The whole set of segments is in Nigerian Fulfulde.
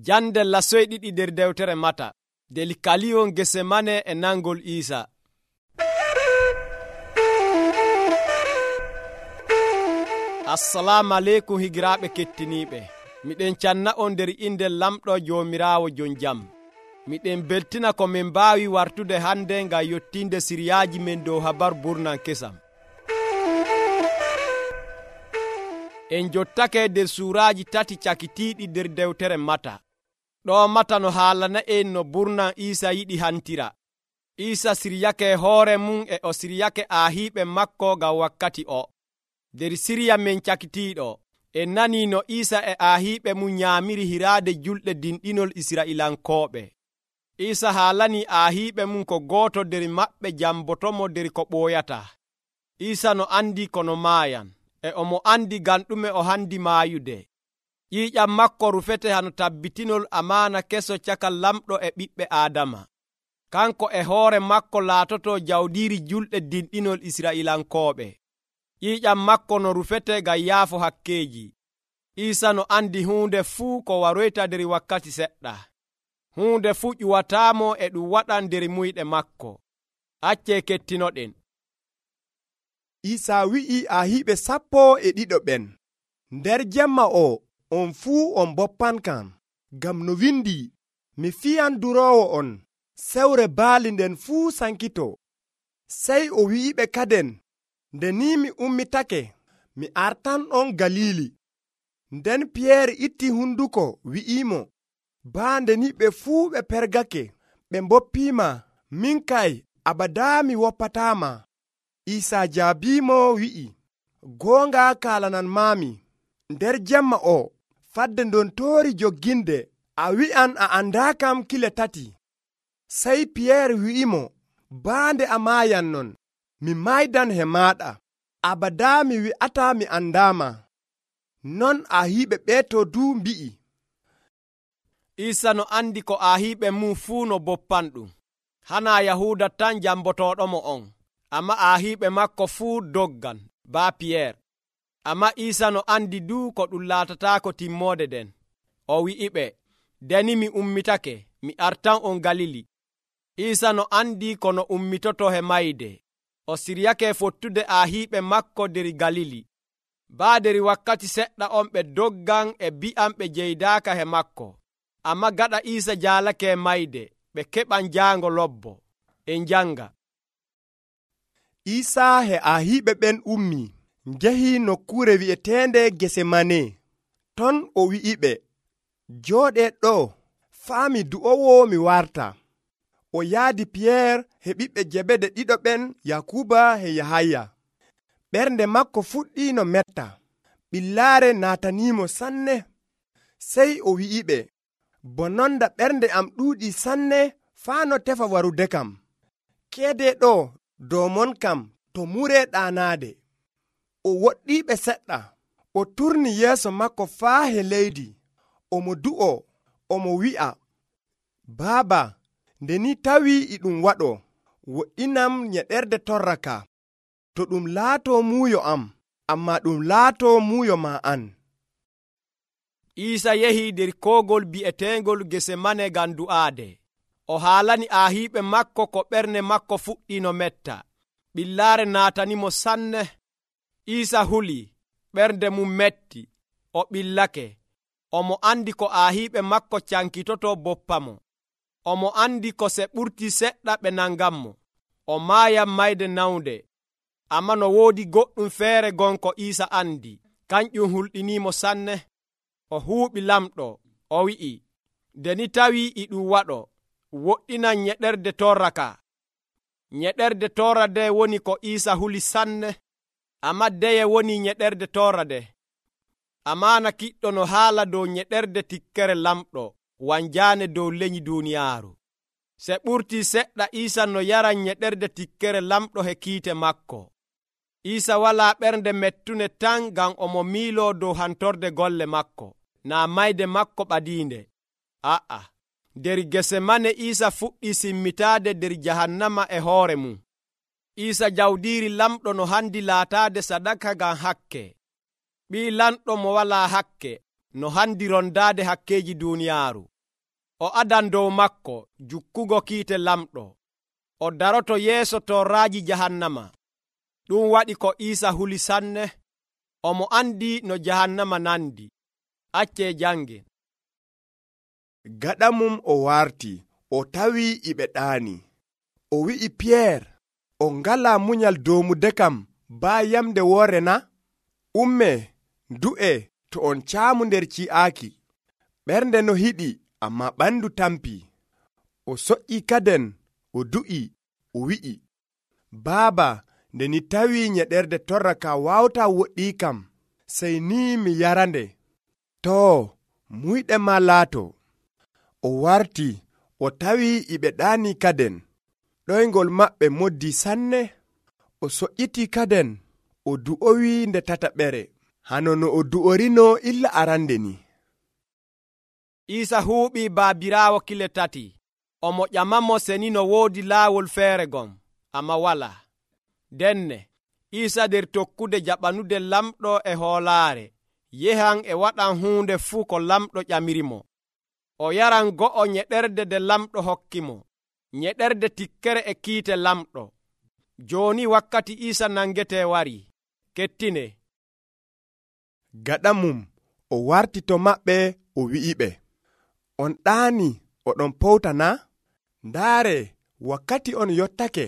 Jande lasoy ɗiɗi nder dewtere Mata. Deli kaliyon Gesemane e nangol Iisa. Assalamu aleykum higiraaɓe kettiniiɓe. Miɗen canna on nder inde lamɗo Joomiraawo jon jam. Miɗen beltina ko min mbaawi wartude hande ngam yottinde siriyaaji men dow habaru burnan kesam. En jottake nder suuraaji 3 cakitiiɗi nder dewtere Mata. Ɗo Mata no haalana en no burnan Iisa yiɗi hantira. Iisa siryake hoore mum e o siryake aahiiɓe makko ngam wakkati o. Nder sirya men cakitiiɗo, en nanii no Iisa e aahiiɓe mum nyaamiri hiraade julɗe dinɗinol Israa'ilankooɓe. Iisa haalanii aahiiɓe mum ko gooto nder maɓɓe jambotomo nder ko ɓooyata. Iisa no andi kono maayan, e omo andi ngam ɗume o handi maayude. ƴiiƴam makko rufete hano tabbitinol amaana keso caka lamɗo e ɓiɓɓe Aadama. Kanko e hoore makko laatoto jawɗiiri julɗe dinɗinol Israa'ilankooɓe. ƴiiƴam makko no rufete ngam yaafo hakkeeji. Iisa no andi huunde fuu ko waroyta nder wakkati seɗɗa. Huunde fuu ƴuwataamo e ɗum waɗan nder muyɗe makko. Accee kettinoɗen. Iisa wi'i aahiiɓe 12 ɓen, nder jemma o on fuu on boppankam, ngam no windi, mi fiyan duroowo on, sewre baali nden fuu sankito. Sey o wi'iɓe kaden, nde ni mi ummitake, mi artanɗon Galili. Nden Piyeer itti hunduko wi'imo, baande ni ɓe fuu ɓe pergake, ɓe mboppiima, min kay abadaa mi woppataama. Iisa jaabiimo wi'i, goonga kaalanan maami, nder jemma o fadde ndon toori jogginde, a wi'an a andaakam kile 3. Sey Piyeer wi'imo, baande a maayan non, mi maydan he maaɗa, abadaa mi wi'ataa mi andaama. Non aahiiɓe ɓeeto duu mbi'i. Iisa no andi ko aahiiɓe mum fuu no boppanɗum. Hanaa Yahuuda tan jambotoɗomo on, amma aahiiɓe makko fuu doggan baa Piyeer. Amma Iisa no andi duu ko ɗum laatataako timmoode den. O wi'iɓe, deni mi ummitake, mi artan on Galili. Iisa no andi ko no ummitoto he mayde. O siryake fottude aahiiɓe makko nder Galili. Baa nder wakkati seɗɗa on ɓe doggan e bi'an ɓe jeydaaka he makko. Amma gaɗa Iisa jaalake mayde, ɓe keɓan jaango lobbo. En janga. Iisa he aahiiɓe ɓen ummi, njehi nokkuure wi'eteende Gesemane. Ton o wi'iɓe, jooɗee ɗo, faami du'owo mi warta. O yaadi Piyeer he ɓiɓɓe Jebede ɗiɗo ɓen, Yakuba he Yahaya. Ɓernde makko fuɗɗiino metta, ɓillaare naataniimo sanne. Sey o wi'iɓe, bononda ɓernde am ɗuuɗi sanne faa no tefa warude kam. Keede ɗo dow mon kam to muree ɗaanaade. O woɗɗiiɓe seɗɗa, o turni yeeso makko faa he leydi, omo du'o, omo wi'a, Baaba, nde ni tawii e ɗum waɗo, woɗɗinam nyeɗerde torra ka, to ɗum laatoo muuyo am, amma ɗum laatoo muuyo ma an. Iisa yehi nder koogol bi'eteengol Gesemane ngam du'aade. O haalani aahiiɓe makko ko ɓernde makko fuɗɗiino metta. Ɓillaare naatanimo sanne. Iisa huli, ɓernde mum metti, o ɓillake. Omo andi ko aahiiɓe makko cankitoto boppamo. Omo andi ko se ɓurti seɗɗa ɓe nanganmo. O maayan mayde nawnde. Amma no woodi goɗɗum feere gonko Iisa andi, kanƴum hulɗiniimo sanne. O huuɓi lamɗo, o wi'i, nde ni tawii e ɗum waɗo, woɗɗinan nyeɗerde torra ka. Nyeɗerde torra de woni ko Iisa huli sanne, amma deye woni nyeɗerde torra de. Amaana kiɗɗo no haala dow nyeɗerde tikkere lamɗo, wanjaane dow leñi duuniyaaru. Se ɓurtii seɗɗa Iisa no yaran nyeɗerde tikkere lamɗo he kiite makko. Iisa walaa ɓernde mettune tan ngam omo miiloo dow hantorde golle makko, naa mayde makko ɓadiinde. A'a, nder Gesemane Iisa fuɗɗii simmitaade nder jahannama e hoore mum. Iisa jawdiiri lamɗo no handi laataade sadaka ngam hakke. Ɓii lamɗo mo walaa hakke no handi rondaade hakkeeji duuniyaaru. O adan dow makko jukkugo kiite lamɗo. O daroto yeeso torraaji jahannama. Ɗum waɗi ko Iisa huli sanne. Omo andi no jahannama nandi. Accee jangen. Gaɗa mum o warti, o tawi iɓe ɗaani. O wi'i Piyeer, o ngalaa munyal doomude kam baa yamde woore na? Umme, ndu'e to on caamu nder ci'aaki. Ɓernde no hiɗi, ammaa ɓandu tampii. O soƴƴii kaden, o du'i, o wi'i, Baaba, nde ni tawii nyeɗerde torra ka waawtaa woɗɗii kam, sey ni mi yarande. Too, muyɗe ma laato. O warti, o tawii iɓe ɗaanii kaden. Ɗoyngol maɓɓe moddii sanne. O soƴƴitii kaden, o du'owii nde tataɓere, hano no o du'orino illa arande ni. Iisa huuɓii baabiraawo kile tati. Omo ƴamamo seni no woodi laawol feere gom, ammaa walaa. Denne, Iisa nder tokkude jaɓanude lamɗo e hoolaare, yehan e waɗan huunde fuu ko lamɗo ƴamirimo. O yaran go'o nyeɗerde nde lamɗo hokkimo, nyeɗerde tikkere e kiite lamɗo. Jooni wakkati Iisa nangetee warii. Kettine. Gaɗa mum, o warti to maɓɓe, o wi'iɓe, on ɗaani oɗon powta na? Ndaare, wakkati on yottake.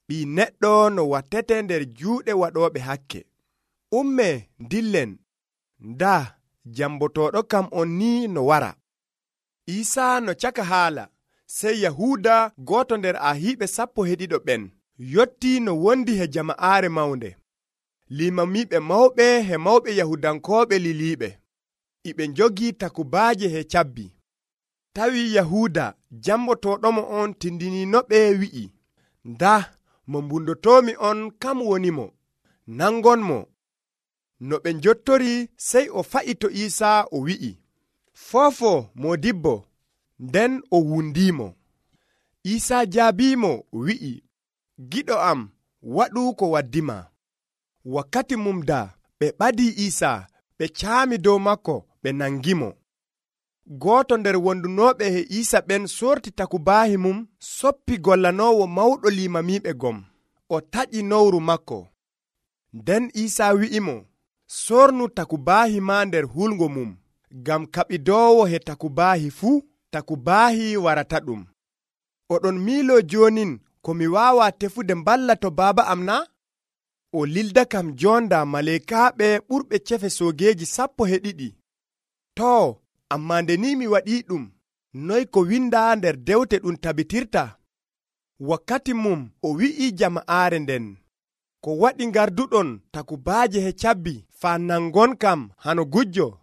Ɓii neɗɗo no wattete nder juuɗe waɗooɓe hakke. Umme dillen, ndaa jambotooɗo kam on ni no wara. Iisaa no caka haala, sey Yahuuda gooto nder ahiiɓe 12 ɓen yottii no wondi he jama'aare mawnde. Limamiiɓe mawɓe he mawɓe Yahudankooɓe liliiɓe. Iɓe njogii takubaaje he cabbi. Tawi Yahuuda jambotooɗomo on tindiniinoɓe wi'i, ndaa mo mbundotoomi on kam woni mo, nangonmo. No ɓe njottori sey o fa'i to Iisaa o wi'i, Foofo moodibbo, nden o wundiimo. Iisaa jaabiimo wi'i, Giɗo am, waɗu ko waddima. Wakkati mum daa ɓe ɓadii Iisaa, ɓe caami dow makko, ɓe nangimo. Gooto nder wondunooɓe he Iisa ɓen sorti takubaahi mum, soppi gollanoowo mawɗo limamiiɓe gom. O taƴi nowru makko. Nden Iisaa wi'imo, sornu takubaahi ma nder hulgo mum, ngam kaɓidoowo he takubaahi fuu, takubaahi warata ɗum. Oɗon miiloo joonin ko mi waawaa tefude mballa to Baaba am na? O lilda kam jonda maleekaaɓe ɓurɓe cefe soogeeji 12. Too, ammaa nde ni mi waɗii ɗum, noy ko windaa nder dewte ɗum tabitirta? Wakkati mum o wi'ii jama'aare nden, ko waɗi ngarduɗon takubaaje he cabbi faa nangon kam hano gujjo?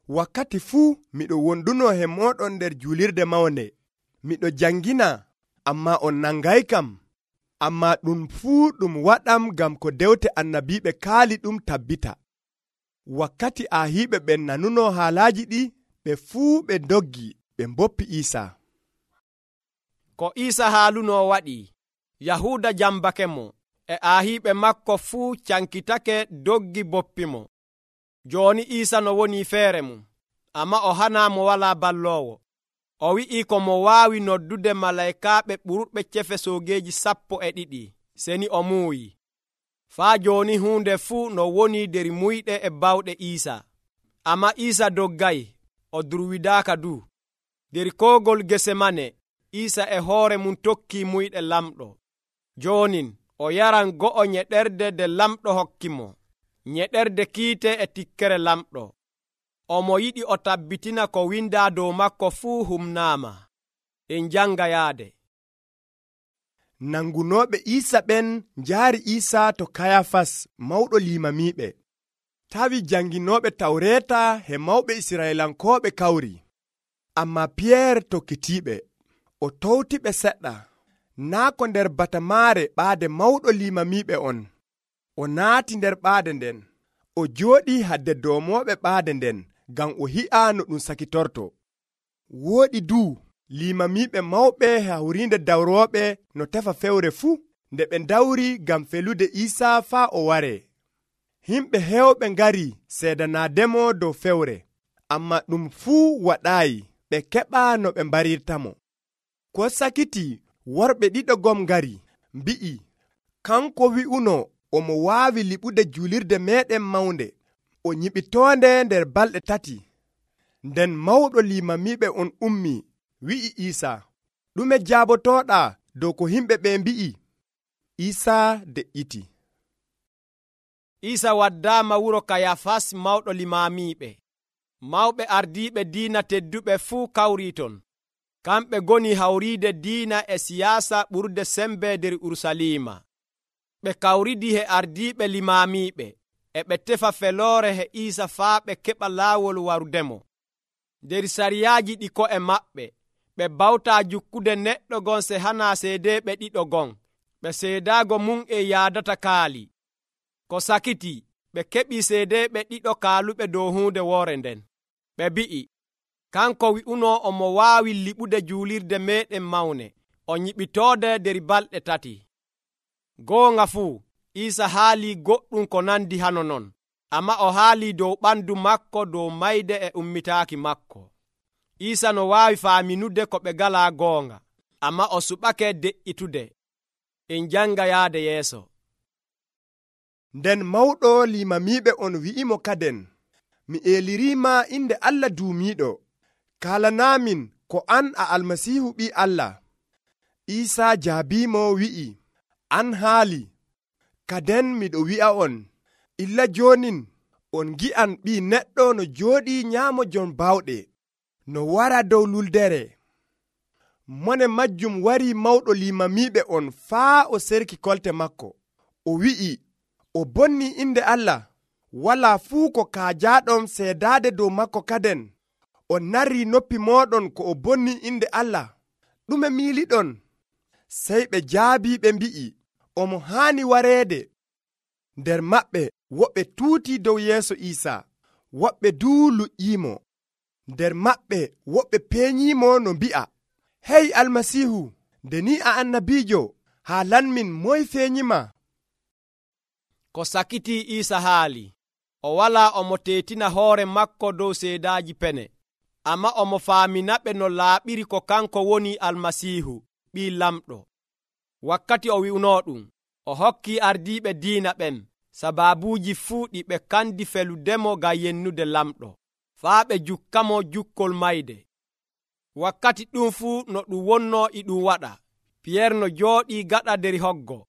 Wakkati fuu miɗo wondunoo he mooɗon nder julirde mawnde. Miɗo jangina, ammaa on nangay kam. Ammaa ɗum fuu ɗum waɗam ngam ko dewte annabiiɓe kaali ɗum tabbita. Wakkati ahiiɓe ɓen nanunoo haalaaji ɗi, ɓe fuu ɓe ndoggi, ɓe mboppi Iisaa. Ko Iisa haalunoo waɗi, Yahuuda jambake mo, e ahiiɓe makko fuu cankitake doggi boppimo. Jooni Iisa no woni feere mum, ammaa o hanaa mo walaa balloowo. O wi'ii ko mo waawi noddude malaykaaɓe ɓurɓe cefe soogeeji 12, seni o muuyi. Faa jooni huunde fuu no woni nder muyɗe e bawɗe Iisa. Ammaa Iisa doggay, o durwidaaka du. Nder koogol Gesemane, Iisa e hoore mum tokkii muyɗe lamɗo. Joonin o yaran go'o nyeɗerde nde lamɗo hokkimo, nyeɗerde kiite e tikkere lamɗo. Omo yiɗi o tabbitina ko windaa dow makko fuu humnaama. En janga yaade. Nangunooɓe Iisa ɓen njaari Iisa to Kayafas mawɗo limamiiɓe. Tawi janginooɓe Tawreeta he mawɓe Israyelankooɓe kawri. Ammaa Piyeer tokkitiiɓe. O towtiɓe seɗɗa. Naa ko nder batamaare ɓaade mawɗo limamiiɓe on. O naati nder ɓaade nden. O jooɗii hadde doomooɓe ɓaade nden, ngam o hi'a no ɗum sakitorto. Wooɗi duu limamiiɓe mawɓe hawriinde dawrooɓe no tefa fewre fuu, nde ɓe dawri ngam felude Iisaa faa o waree. Himɓe heewɓe ngari seedanaademo dow fewre, ammaa ɗum fuu waɗaayi ɓe keɓa no ɓe mbarirtamo. Ko sakiti worɓe ɗiɗo gom ngari mbi'i kanko wi'uno omo waawi liɓude julirde meeɗen mawnde o nyiɓitoonde nder balɗe 3. Nden mawɗo limamiiɓe on ummi wi'i Iisa, ɗume jaabotooɗaa dow ko himɓe ɓe mbi'i? Iisa de'iti. Iisa waddaama wuro Kayafas mawɗo limamiiɓe. Mawɓe ardiiɓe diina tedduɓe fuu kawrii ton. Kamɓe ngoni hawriide diina e siyaasa ɓurde sembe nder Urusalima. Ɓe kawridi he ardiiɓe limamiiɓe e ɓe tefa feloore he Iisa faa ɓe keɓa laawol warudemo. Nder sariyaaji ɗi ko'e maɓɓe ɓe bawtaa jukkude neɗɗo gon se hana seedeeɓe ɗiɗo gon ɓe seedaago mum e yaadata kaali. Ko sakiti ɓe keɓii seedeeɓe ɗiɗo kaaluɓe dow huunde woore nden. Ɓe mbi'i kanko wi'uno omo waawi liɓude juulirde meeɗen mawne o nyiɓitoode nder balɗe 3. Goonga fuu Iisa haalii goɗɗum ko nandi hano non, ammaa o haalii dow ɓandu makko dow mayde e ummitaaki makko. Iisa no waawi faaminude ko ɓe ngalaa goonga, ammaa o suɓake de'itude. En janga yaade yeeso. Nden mawɗo limamiiɓe on wi'imo kaden, mi eeliriima inde Allah duumiiɗo, kaalanaamin ko an a Almasiihu ɓii Allah. Iisa jaabiimo wi'i, an haali. Kaden miɗo wi'a on, illa joonin on ngi'an Ɓii Neɗɗo no jooɗii nyaamo jon baawɗe, no wara dow luldere. Mone majjum warii mawɗo limamiiɓe on faa o serki kolte makko. O wi'i, o bonnii inde Allah. Walaa fuu ko kaajaaɗon seedaade dow makko kaden. On narrii noppi mooɗon ko o bonnii inde Allah. Ɗume miiliɗon? Sey ɓe jaabii ɓe mbi'i, omo haani wareede. Nder maɓɓe woɓɓe tuutii dow yeeso Iisa, woɓɓe duu luƴƴiimo. Nder maɓɓe woɓɓe peenyiimo no mbi'a, hey Almasiihu, nde ni a annabiijo, haalanmin moye feenyima? Ko sakiti Iisa haali, o walaa omo teetina hoore makko dow seedaaji pene, ammaa omo faaminaɓe no laaɓiri ko kanko woni Almasiihu, ɓii lamɗo. Wakkati o wi'unoo ɗum, o hokkii ardiiɓe diina ɓen sabaabuuji fuu ɗi ɓe kandi feludemo ngam yennude lamɗo, faa ɓe jukkamo jukkol mayde. Wakkati ɗum fuu no ɗum wonnoo e ɗum waɗa, Piyeer no jooɗii gaɗa nder hoggo.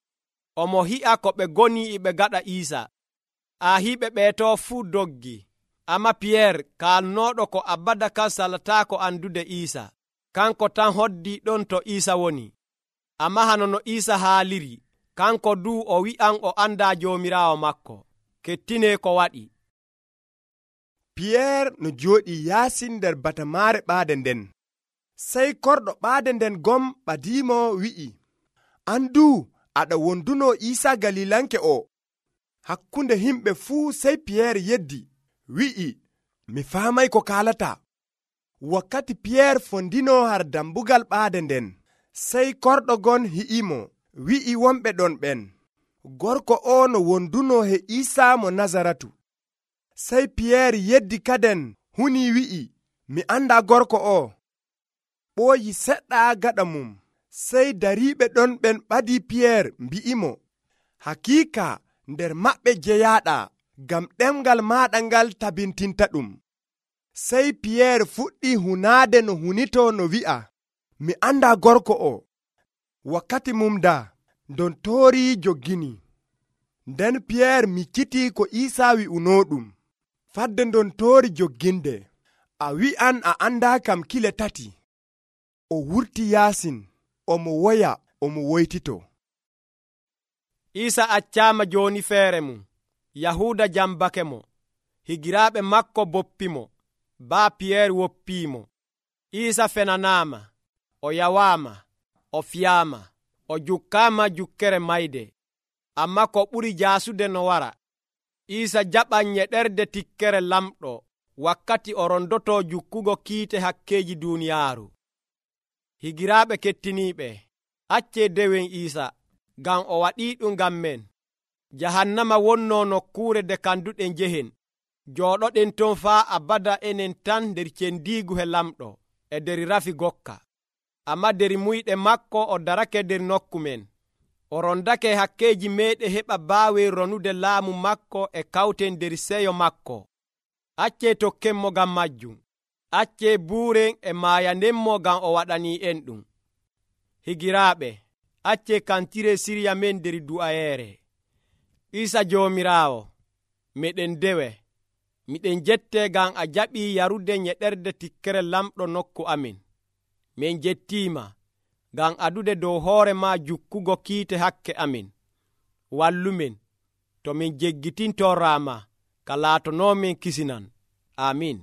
Omo hi'a ko ɓe ngoni e ɓe gaɗa Iisa. Aahiiɓe ɓeetoo fuu doggi, ammaa Piyeer kaalnooɗo ko abada kan salataako andude Iisa, kanko tan hoddii ɗon to Iisa woni. Ammaa hano no Iisa haaliri, kanko duu o wi'an o andaa Joomiraawo makko. Kettinee ko waɗi. Piyeer no jooɗii yaasi nder batamaare ɓaade nden. Sey korɗo ɓaade nden gom ɓadiimo wi'i, an duu aɗa wonduno Iisa Galilanke o. Hakkunde himɓe fuu sey Piyeer yeddi, wi'i, mi faamay ko kaalata. Wakkati Piyeer fondino har dambugal ɓaade nden, sey korɗo gon hi'imo, wi'i wonɓe ɗon ɓen, gorko o no wonduno he Iisa mo Nazaratu. Sey Piyeer yeddi kaden huni wi'i, mi andaa gorko o. Ɓooyi seɗɗa gaɗa mum, sey dariiɓe ɗon ɓen ɓadii Piyeer mbi'imo, hakiika nder maɓɓe jeyaaɗa, ngam ɗemgal maaɗa ngal tabintinta ɗum. Sey Piyeer fuɗɗii hunaade no hunitoo no wi'a, mi andaa gorko o. Wakkati mum daa, ndontoori joggini. Nden Piyeer miccitii ko Iisa wi'unoo ɗum. Fadde ndontoori jogginde, a wi'an a andaa kam kile 3. O wurti yaasin, omo woya, omo woytito. Iisa accaama jooni feere mum. Yahuuda jambake mo. Higiraaɓe makko boppimo. Baa Piyeer woppiimo. Iisa fenanaama. O yawaama. O fiyaama. O jukkaama jukkere mayde. Ammaa ko ɓuri jaasude no wara. Iisa jaɓan nyeɗerde tikkere lamɗo wakkati o rondotoo jukkugo kiite hakkeeji duuniyaaru. Higiraaɓe kettiniiɓe, accee dewen Iisa, ngam o waɗii ɗum ngam men. Jahannama wonnoo nokkuure nde kanduɗen njehen. jooɗoɗen ton faa abada enen tan nder cendiigu he lamɗo e nder rafi gokka. Ammaa nder muyɗe makko o darake nder nokku men. O rondake hakkeeji meeɗen heɓa baawen ronude laamu makko e kawten nder seyo makko. Accee tokkenmo ngam majjum. Accee buuren e maayandenmo ngam o waɗanii en ɗum. Higiraaɓe, accee kantire sirya men nder du'ayeere. Iisa Joomiraawo, meɗen dewe. Miɗen jettee ngam a jaɓii yarude nyeɗerde tikkere lamɗo nokku amin. Min jettiima ngam adude dow hoore maa jukkugo kiite hakke amin. Wallumen to min jeggitintorraama ka laatonoomen kisinan. Amiin.